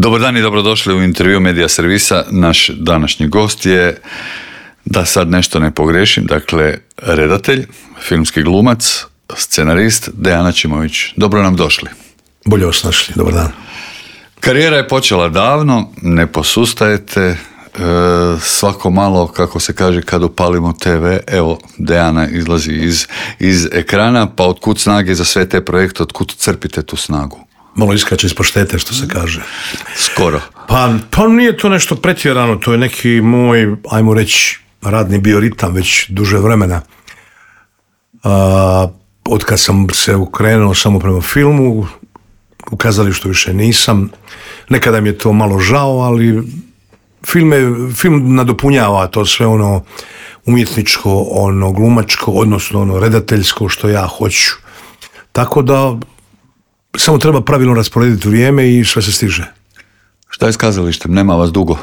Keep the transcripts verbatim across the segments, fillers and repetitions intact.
Dobar dan i dobrodošli u intervju Medija servisa. Naš današnji gost je, da sad nešto ne pogrešim, dakle, redatelj, filmski glumac, scenarist Dejan Ačimović. Dobro nam došli. Bolje vas našli, dobar dan. Karijera je počela davno, ne posustajete, e, svako malo, kako se kaže, kad upalimo te ve, evo, Dejana izlazi iz, iz ekrana, pa otkud snage za sve te projekte, otkud crpite tu snagu? Malo iskače iz paštete, što se kaže. Skoro. Pa, pa nije to nešto pretjerano, to je neki moj, ajmo reći, radni bioritam već duže vremena. A, od kad sam se ukrenuo samo prema filmu, u kazalištu više nisam. Nekada mi je to malo žao, ali film, je, film nadopunjava to sve ono umjetničko, ono glumačko, odnosno ono redateljsko što ja hoću. Tako da samo treba pravilno rasporediti vrijeme i sve se stiže. Šta je s kazalištem? Nema vas dugo?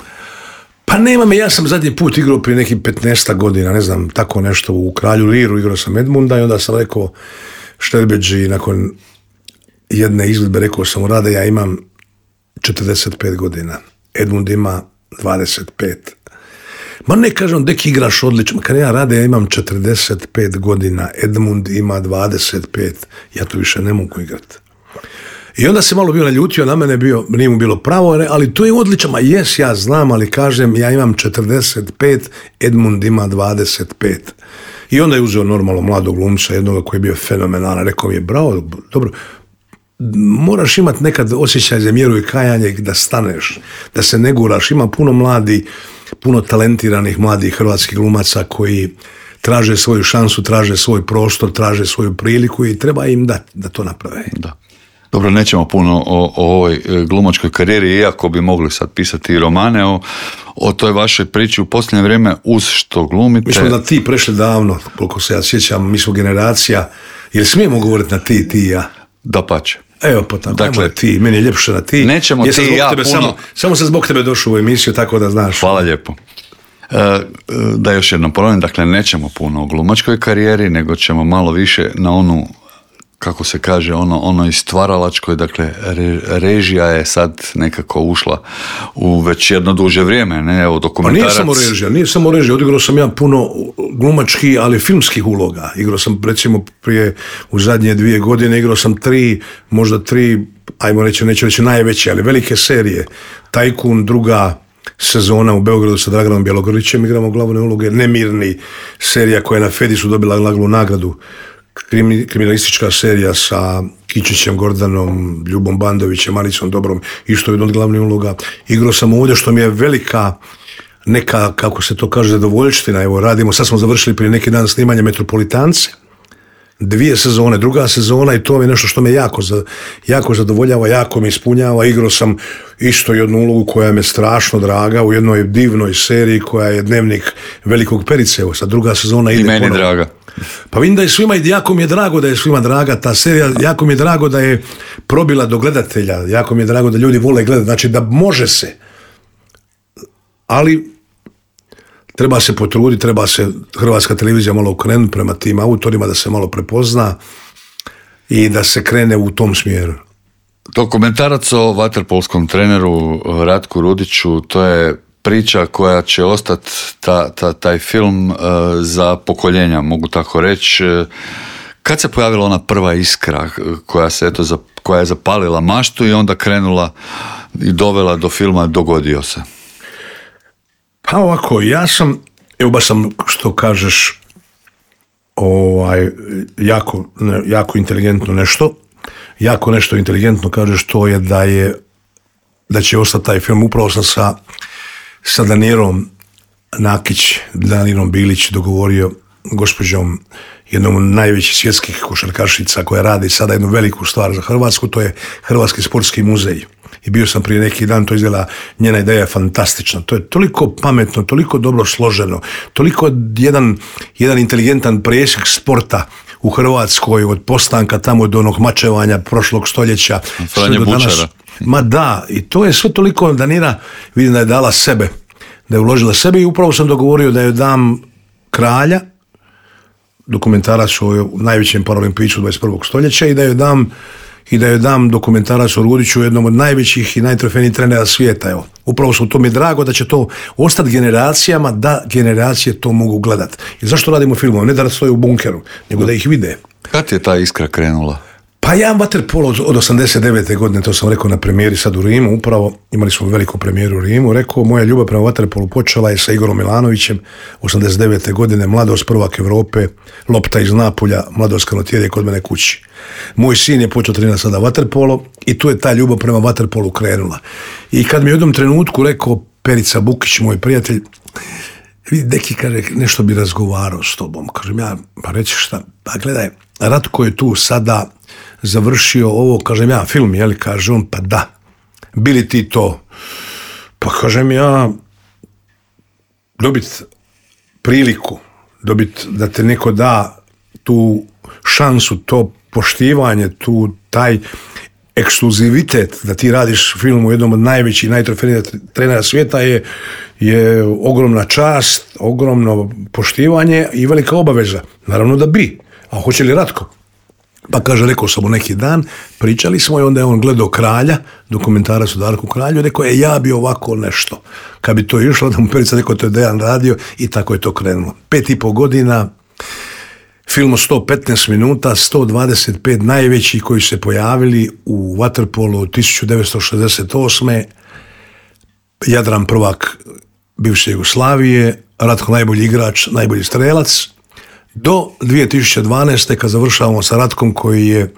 Pa nema me, ja sam zadnji put igrao prije nekih petnaest godina, ne znam, tako nešto u Kralju Liru, igrao sam Edmunda i onda sam rekao Šterbeđi, nakon jedne izvedbe rekao sam mu: Rade, ja imam četrdeset pet godina, Edmund ima dvadeset pet. Ma ne kažem, dek igraš odlično, kad ja Rade, ja imam četrdeset pet godina, Edmund ima dvadeset pet, ja to više ne mogu igrati. I onda se malo bio naljutio na mene, bio, nije mu bilo pravo, ali to je odlično, ma jes, ja znam, ali kažem, ja imam četrdeset pet, Edmund ima dvadeset pet. I onda je uzeo normalno mladog glumca, jednoga koji je bio fenomenalan, rekao mi je: bravo, dobro, moraš imati nekad osjećaj za mjeru i kajanje da staneš, da se ne guraš. Ima puno mladi, puno talentiranih mladih hrvatskih glumaca koji traže svoju šansu, traže svoj prostor, traže svoju priliku i treba im dati da to naprave. Da. Dobro, nećemo puno o, o ovoj glumačkoj karijeri, iako bi mogli sad pisati i romane o, o toj vašoj priči u posljednje vrijeme, uz što glumite. Mi smo da ti prešli davno, koliko se ja sjećam, mi smo generacija, jer smijemo govoriti na ti, ti i ja? Dapače. Evo pa tako, dakle, ti, meni je ljepše na ti. Nećemo ti i ja puno. Samo, samo sam zbog tebe došao u emisiju, tako da znaš. Hvala lijepo. E, da još jednom ponovim, dakle, nećemo puno o glumačkoj karijeri, nego ćemo malo više na onu, kako se kaže, ono, ono i stvaralačkoj, dakle, re, režija je sad nekako ušla u već jedno duže vrijeme, ne, evo, dokumentarac. Pa nije samo režija, nije samo režija, odigrao sam ja puno glumačkih, ali filmskih uloga. Igrao sam, recimo, prije, u zadnje dvije godine, igrao sam tri, možda tri, ajmo reći, neću reći najveće, ali velike serije. Tajkun, druga sezona u Beogradu sa Draganom Bjelogrlićem, igramo glavne uloge. Nemirni, serija koja je na Fedisu dobila glavnu nagradu. Kriminalistička serija sa Kičićem, Gordanom, Ljubom Bandovićem, Maricom Dobrom, isto je jedna od glavnih uloga. Igrao sam ovdje, što mi je velika neka, kako se to kaže, zadovoljština. Evo, radimo, sad smo završili prije neki dan snimanje Metropolitance, dvije sezone, druga sezona, i to je nešto što me jako, jako zadovoljava, jako me ispunjava. Igrao sam isto jednu ulogu koja me strašno draga u jednoj divnoj seriji koja je Dnevnik Velikog Perice. Evo, sad druga sezona ide. I meni ponovno. Draga. Pa vidim da je svima, i jako mi je drago da je svima draga ta serija, jako mi je drago da je probila do gledatelja, jako mi je drago da ljudi vole gledati, znači da može se, ali treba se potruditi, treba se Hrvatska televizija malo okrenuti prema tim autorima, da se malo prepozna i da se krene u tom smjeru. Dokumentarac o vaterpolskom treneru Ratku Rudiću, to je priča koja će ostati, ta, ta, taj film, uh, za pokoljenja, mogu tako reći. Kad se pojavila ona prva iskra koja, se, eto, za, koja je zapalila maštu i onda krenula i dovela do filma Dogodio se? Pa ovako, ja sam, evo baš sam, što kažeš, ovaj, jako, jako inteligentno nešto, jako nešto inteligentno kažeš, to je da je, da će ostati taj film. Upravo sam sa sa Danijelom Nakić, Danijelom Bilić dogovorio, gospođom, jednom od najvećih svjetskih košarkašica koja radi sada jednu veliku stvar za Hrvatsku, to je Hrvatski sportski muzej. I bio sam prije neki dan, to izgleda, njena ideja je fantastična. To je toliko pametno, toliko dobro složeno, toliko jedan, jedan inteligentan presjek sporta u Hrvatskoj, od postanka tamo do onog mačevanja prošlog stoljeća. Franje Bučara. Ma da, i to je sve toliko, Danira, vidim da je dala sebe, da je uložila sebe, i upravo sam dogovorio da joj dam Kralja, dokumentarac o najvećem paralimpijiću dvadeset prvog stoljeća, i da joj dam i da joj dam dokumentarac o Rudiću, jednom od najvećih i najtrofejnijih trenera svijeta. Evo, upravo su to mi je drago da će to ostati generacijama, da generacije to mogu gledati. I zašto radimo filmove? Ne da stoje u bunkeru, nego da ih vide. Kad je ta iskra krenula? Pa ja vaterpolo od, od osamdeset devete godine, to sam rekao na premijeri sad u Rimu, upravo imali smo veliku premijeru u Rimu, rekao moja ljubav prema vaterpolu počela je sa Igorom Milanovićem, osamdeset devete godine, mladost, prvak Europe, lopta iz Napulja, mladost kanotjer je kod mene kući. Moj sin je počeo trenirati sada vaterpolo i tu je ta ljubav prema vaterpolu krenula. I kad mi je u jednom trenutku rekao Perica Bukić, moj prijatelj, vidi, neki, kaže, nešto bi razgovarao s tobom. Kažem ja, pa reći šta, pa gledaj, Ratko je tu sada završio ovo, kažem ja, film, jeli, kaže on, pa da, bili ti to, pa kažem ja, dobit priliku, dobit da te neko da tu šansu, to poštivanje, tu taj ekskluzivitet da ti radiš film u jednom od najvećih, najtrofejnijih trenera svijeta je, je ogromna čast, ogromno poštivanje i velika obaveza. Naravno da bi. A hoće li Ratko? Pa kaže, rekao sam mu neki dan, pričali smo i onda je on gledao Kralja, dokumentarac o Darku Kralju, i rekao je, ja bi ovako nešto. Kad bi to išlo, da mu Perica rekao, to je Dejan radio i tako je to krenulo. Pet i pol godina, film od sto petnaest minuta, sto dvadeset pet najvećih koji se pojavili u vaterpolu tisuću devetsto šezdeset osme. Jadran prvak bivše Jugoslavije, Ratko najbolji igrač, najbolji strelac, do dvije tisuće dvanaeste. kad završavamo sa Ratkom koji je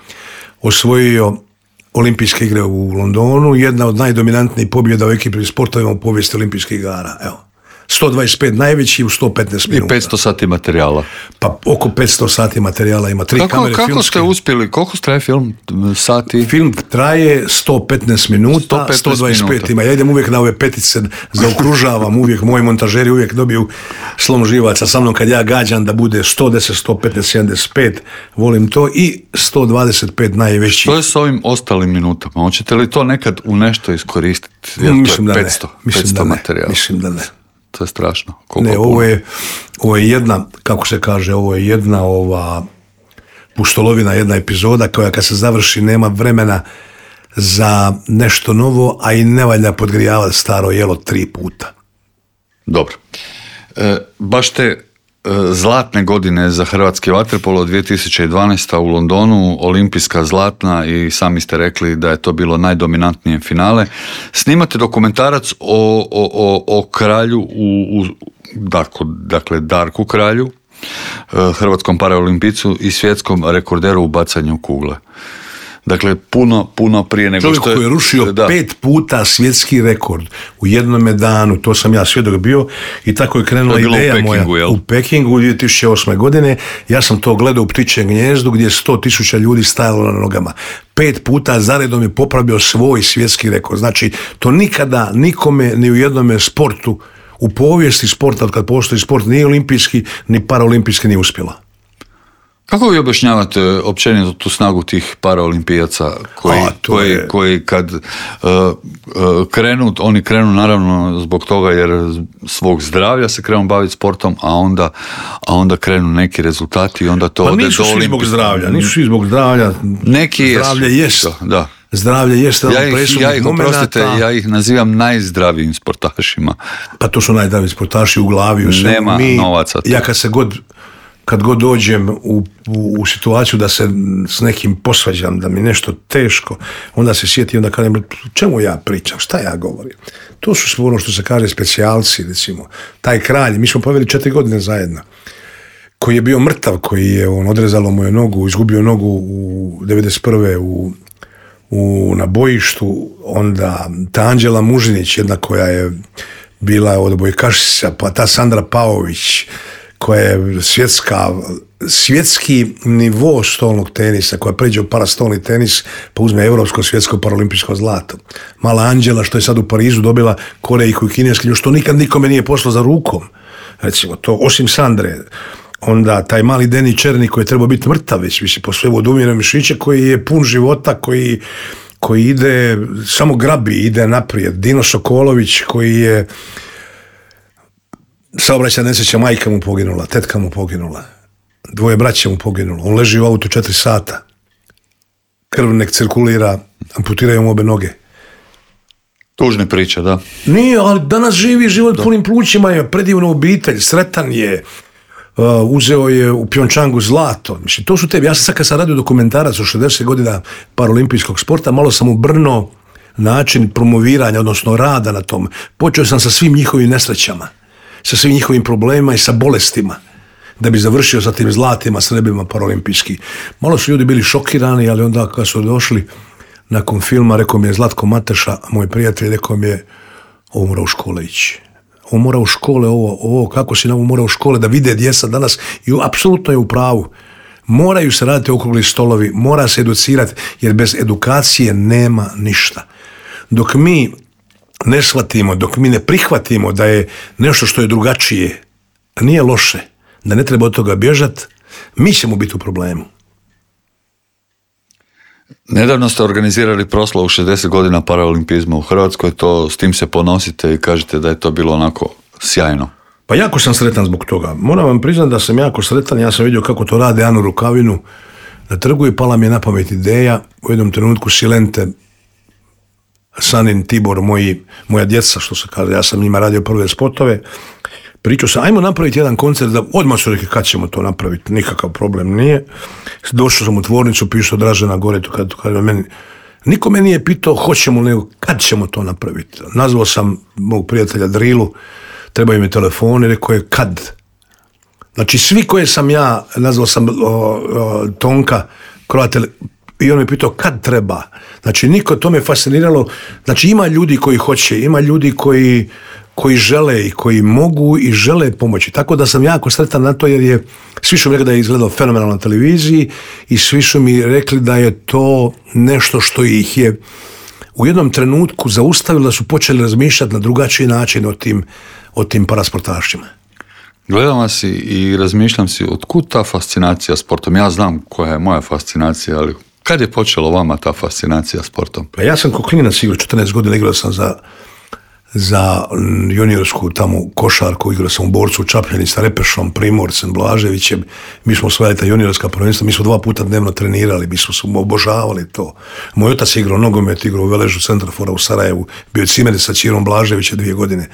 osvojio olimpijske igre u Londonu, jedna od najdominantnijih pobjeda u ekipnim sportovima u povijesti olimpijskih igara. Evo. sto dvadeset pet najveći u sto petnaest minuta. I petsto sati materijala. Pa oko petsto sati materijala, ima tri kako, kamere kako filmske. Ste uspjeli, koliko traje film? Sati? Film traje sto petnaest minuta, sto petnaest sto dvadeset pet minuta. ima. Ja idem uvijek na ove petice, zaokružavam uvijek, moji montažeri uvijek dobiju slom živaca sa mnom kad ja gađam da bude sto deset, sto petnaest, sedamdeset pet, volim to, i sto dvadeset pet najveći. Što je s ovim ostalim minutama? Hoćete li to nekad u nešto iskoristiti? Jer Mislim to je da petsto, ne. Mislim petsto da ne. materijala. Mislim da ne. To je strašno. Koliko Ne, puno? ovo je, ovo je jedna, kako se kaže, ovo je jedna ova pustolovina, jedna epizoda koja kad se završi nema vremena za nešto novo, a i ne valja podgrijavati staro jelo tri puta. Dobro. E, baš te e, zlatne godine za hrvatski vaterpolo dvije tisuće dvanaeste. u Londonu, olimpijska zlatna, i sami ste rekli da je to bilo najdominantnije finale. Snimate dokumentarac o, o, o, o kralju, u, u, dakle, dakle Darku Kralju, e, hrvatskom paraolimpijicu i svjetskom rekorderu u bacanju kugle. Dakle, puno, puno prije nego Čovjek što je... koji je rušio da. pet puta svjetski rekord u jednome danu, to sam ja svjedok bio, i tako je krenula To je bilo ideja u Pekingu, moja. jel? U Pekingu dvije tisuće osme. godine. Ja sam to gledao u Ptičjem gnjezdu gdje je sto tisuća ljudi stajalo na nogama. Pet puta zaredom je popravio svoj svjetski rekord. Znači, to nikada nikome ni u jednome sportu, u povijesti sporta, od kad postoji sport, ni olimpijski, ni paraolimpijski nije uspjela. Kako vi objašnjavate općenito tu snagu tih paraolimpijaca koji, A, to koji, je- koji kad uh, uh, krenu, oni krenu naravno zbog toga jer svog zdravlja se krenu baviti sportom, a onda, a onda krenu neki rezultati i onda to Pa ode nisu do svi zbog olimpijskog. zdravlja, nisu svi zbog zdravlja. Neki jesu. Zdravlje jest. Da. Zdravlje jest Ja jedan ih, presudnih ja ih, oprostite, momenata. ja ih nazivam najzdravijim sportašima. Pa to su najzdraviji sportaši u glavi. U svemu. Nema novaca tu. Ja kad se god, kad god dođem u, u, u situaciju da se s nekim posvađam, da mi nešto teško, onda se sjetim, onda kažem, čemu ja pričam, šta ja govorim? To su sve ono što se kaže specijalci, recimo. Taj kralj, mi smo poveli četiri godine zajedno, koji je bio mrtav, koji je, on odrezalo mu je nogu, izgubio nogu u devedeset prve u U, na bojištu, onda ta Anđela Mužinić, jedna koja je bila odbojkašica, pa ta Sandra Paović, koja je svjetska, svjetski nivo stolnog tenisa, koja pređe u parastolni tenis, pa uzme europsko, svjetsko, paraolimpijsko zlato. Mala Anđela, što je sad u Parizu dobila korejku i kineskinju, što nikad nikome nije pošlo za rukom. Recimo, to, osim Sandre. Onda taj mali Deni Černi koji je trebao biti mrtav već, više po sve odumire mišiće, koji je pun života, koji, koji ide, samo grabi, ide naprijed. Dino Sokolović koji je saobraćajna nesreća, majka mu poginula, tetka mu poginula, dvoje braće mu poginulo, on leži u autu četiri sata. krv nek cirkulira, amputiraju mu obe noge. Tužne priče, da. Nije, ali danas živi život punim plućima, je predivna obitelj, sretan je, uh, uzeo je u Pjončangu zlato. Mislim, to su te, ja sam sad kad sam radio dokumentarac o šezdeset godina paraolimpijskog sporta, malo sam ubrnuo način promoviranja, odnosno rada na tom. Počeo sam sa svim njihovim nesrećama, sa svim njihovim problemima i sa bolestima, da bi završio sa tim zlatima, srebrima paraolimpijski. Malo su ljudi bili šokirani, ali onda kad su došli nakon filma, rekao mi je Zlatko Mateša, moj prijatelj, rekao mi je, ovo mora u škole ići. Ovo mora u škole, ovo, ovo kako si na ovo mora u škole, da vide djeca danas, i apsolutno je u pravu. Moraju se raditi okrugli stolovi, mora se educirati, jer bez edukacije nema ništa. Dok mi ne shvatimo, dok mi ne prihvatimo da je nešto što je drugačije, nije loše, da ne treba od toga bježati, mi ćemo biti u problemu. Nedavno ste organizirali proslavu šezdeset godina paraolimpizma u Hrvatskoj, to s tim se ponosite i kažete da je to bilo onako sjajno. Pa jako sam sretan zbog toga. Moram vam priznati da sam jako sretan, ja sam vidio kako to rade Anu Rukavinu na trgu i pala mi je na pamet ideja, u jednom trenutku Silente, Sanin, Tibor, moji, moja djeca, što se kaže, ja sam njima radio prve spotove, pričao sam, ajmo napraviti jedan koncert, da odmah su rekli kad ćemo to napraviti, nikakav problem nije. Došao sam u tvornicu, pisao Dražena gore, to kad, kad meni, niko me nije pitao hoćemo, nego kad ćemo to napraviti. Nazvao sam mog prijatelja Drilu, trebaju mi telefon i rekao je kad. Znači svi koje sam ja, nazvao sam o, o, Tonka, Kroatel, i on me pitao kad treba. Znači niko, to me fasciniralo. Znači ima ljudi koji hoće, ima ljudi koji, koji žele i koji mogu i žele pomoći. Tako da sam jako sretan na to, jer je, svi su mi rekli da je izgledao fenomenalno na televiziji i svi su mi rekli da je to nešto što ih je u jednom trenutku zaustavilo, da su počeli razmišljati na drugačiji način o tim, o tim parasportašima. Gledam vas i, i razmišljam si, otkud ta fascinacija sportom? Ja znam koja je moja fascinacija, ali kad je počelo vama ta fascinacija sportom? Pa ja sam ko klinac igrao, četrnaest godina igrao sam za, za juniorsku tamo košarku, igrao sam u Borcu u Čapljani sa Repešom, Primorcem, Blaževićem. Mi smo osvajali ta juniorska prvenstva, mi smo dva puta dnevno trenirali, mi smo se obožavali to. Moj otac je igrao nogomet, igrao u Veležu Centrafora u Sarajevu, bio je cimer sa Čirom Blaževića dvije godine.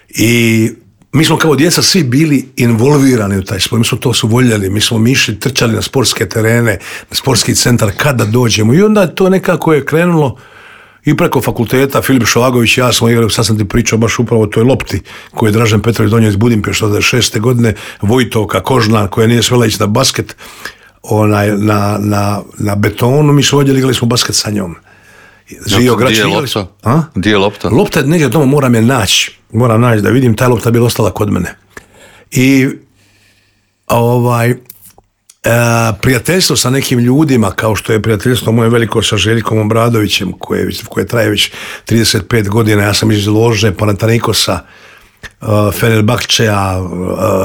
I mi smo kao djeca svi bili involvirani u taj sport, mi smo to su voljeli, mi smo mišli, trčali na sportske terene, na sportski centar kada dođemo, i onda to nekako je krenulo i preko fakulteta. Filip Šovagović i ja smo igrali, sad sam ti pričao baš upravo o toj lopti koju je Dražen Petrović donio iz Budimpešte od šeste godine, Vojtovka, Kožna, koja nije smjela ići na basket, onaj, na, na, na betonu, mi smo ovdje igrali smo basket sa njom. Žio Grač, gdje je lopta? A? Gdje je lopta? Lopta je negdje doma, moram je naći. Moram naći da vidim, ta lopta bi ostala kod mene. I ovaj, e, prijateljstvo sa nekim ljudima, kao što je prijateljstvo moje veliko sa Željkom Obradovićem, koje, koje traje već trideset pet godina, ja sam iz lože Panathinaikosa, uh, Fenerbahčeja, uh,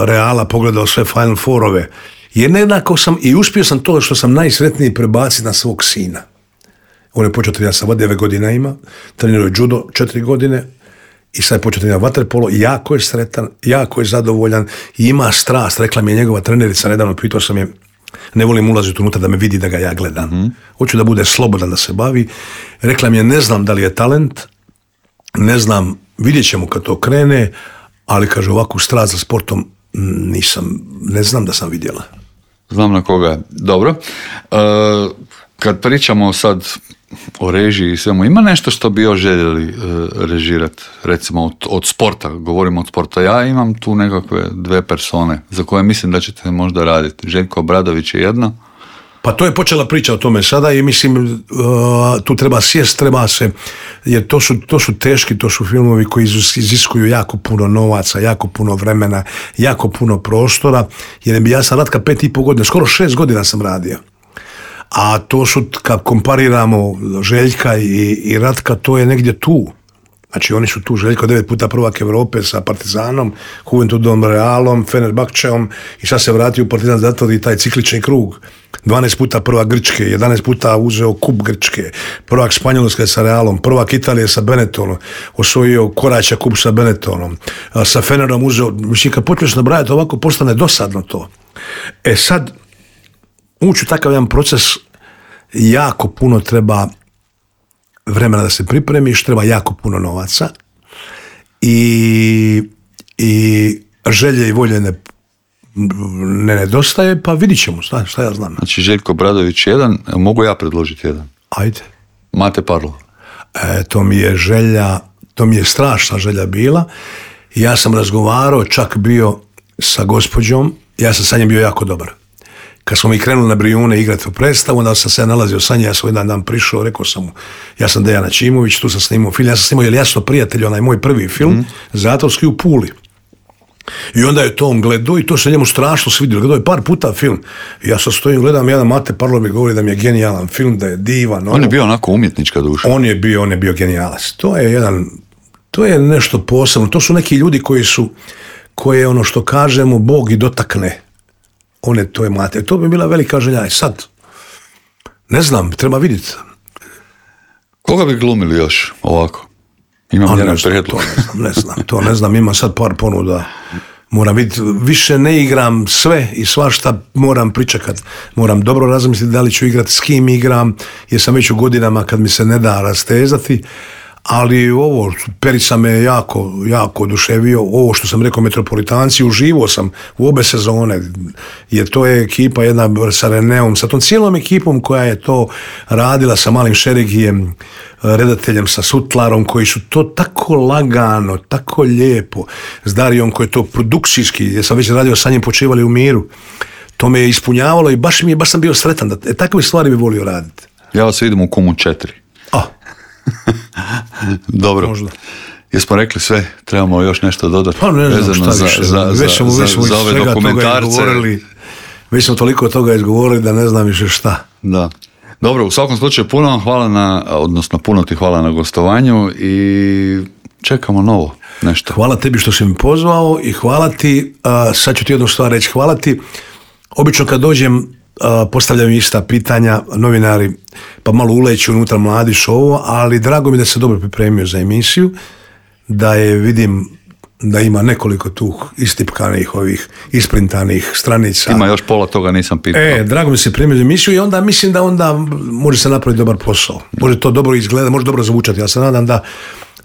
Reala, pogledao sve Final Fourove. Jer jednako sam, i uspio sam to što sam najsretniji prebaciti na svog sina. On je počeo trenirati sa devet godina ima, trenirao je judo četiri godine i sad je počeo trenirati vaterpolo, jako je sretan, jako je zadovoljan i ima strast. Rekla mi je njegova trenerica nedavno, pitao sam je, ne volim ulaziti unutra da me vidi da ga ja gledam. Mm-hmm. Hoću da bude slobodan, da se bavi. Rekla mi je, ne znam da li je talent, ne znam, vidjet ćemo kad to krene, ali kaže ovakvu strast za sportom nisam, ne znam da sam vidjela. Znam na koga. Dobro. E, kad pričamo sad o režiji i svemu, ima nešto što bi još željeli e, režirati, recimo od, od sporta, govorimo od sporta. Ja imam tu nekakve dve persone za koje mislim da ćete možda raditi. Željko Obradović je jedna. Pa to je počela priča o tome sada i mislim uh, tu treba sjest, treba se, jer to su, to su teški, to su filmovi koji iziskuju jako puno novaca, jako puno vremena, jako puno prostora, jer ja sam Ratka pet i pol godina, skoro šest godina sam radio. A to su, kad kompariramo Željka i, i Ratka, to je negdje tu. Znači oni su tu, Željko devet puta prvak Europe sa Partizanom, Juventudom, Realom, Fenerbahčeom i sad se vratio u Partizan zato i taj ciklični krug. dvanaest puta prvak Grčke, jedanaest puta uzeo kup Grčke, prvak Španjolske sa Realom, prvak Italije sa Benettonom, osvojio koraća kup sa Benettonom, sa Fenerom uzeo, mislim kad počneš nabrajati ovako postane dosadno to. E sad, ući u takav jedan proces jako puno treba vremena da se pripremiš, treba jako puno novaca i, i želje i volje ne, ne nedostaje, pa vidit ćemo, šta, šta ja znam. Znači Željko Obradović jedan, mogu ja predložiti jedan? Ajde. Mate Parlov. E, to mi je želja, to mi je strašna želja bila. Ja sam razgovarao, čak bio sa gospođom, ja sam sa njim bio jako dobar. Kad smo mi krenuli na Brijune igrati u predstavu, onda sam se nalazio sa njim, ja sam jedan dan prišao, rekao sam mu, ja sam Dejan Ačimović, tu sam snimao film, ja sam snimao, jer jasno prijatelj, onaj moj prvi film, mm. Zatvorski u Puli. I onda je to on gledao i to se njemu strašno svidjelo. Gledao je par puta film. I ja sad stojim, gledam, jedan Mate Parlov mi govori da mi je genijalan film, da je divan. On ono. je bio onako umjetnička duša. On je bio, on je bio genijalac. To je jedan, to je nešto posebno. To su neki ljudi koji su, koje ono što kažemo, Bog i dotakne. One, to je Mate. To bi bila velika želja. I sad, ne znam, treba vidjeti. Koga bi glumili još ovako? Imam jedan prijedlog. Ne znam, ne znam, to ne znam, imam sad par ponuda. Moram vidjeti, više ne igram sve i svašta, moram pričekat. Moram dobro razmisliti da li ću igrati, s kim igram, jer sam već u godinama kad mi se ne da rastezati. Ali ovo, Perica me jako, jako oduševio. Ovo što sam rekao, Metropolitanci, uživao sam u obe sezone, jer to je ekipa jedna sa Reneom, sa tom cijelom ekipom koja je to radila, sa Malim Šerigijem, redateljem, sa Sutlarom, koji su to tako lagano, tako lijepo, s Darijom koji je to produkcijski, jer sam već radio sa njim, Počivali u miru. To me je ispunjavalo i baš mi je, baš sam bio sretan. Da, e, takve stvari bi volio raditi. Ja vas vidim u Kumu četiri. A. Dobro. Možda. Jesmo rekli sve, trebamo još nešto dodati. Pa ne znam šta više. Za, za, već smo, za, već smo za ove dokumentarce. Već smo toliko toga izgovorili da ne znam više šta. Da. Dobro, u svakom slučaju puno vam hvala na, odnosno puno ti hvala na gostovanju i čekamo novo nešto. Hvala tebi što si mi pozvao i hvala ti, uh, sad ću ti jednu stvar reći, hvala ti. Obično kad dođem, uh, postavljam ista pitanja, novinari, pa malo uleću unutra mladić ovo, ali drago mi da se dobro pripremio za emisiju, da je vidim da ima nekoliko tu istipkanih ovih isprintanih stranica. Ima još pola toga, nisam pitao. E, drago mi se pripremio za emisiju i onda mislim da onda može se napraviti dobar posao. Može to dobro izgledati, može dobro zvučati. Ja se nadam da,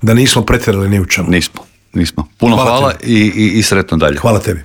da nismo pretjerali ni u čemu. Nismo, nismo. Puno hvala, hvala i, i, i sretno dalje. Hvala tebi.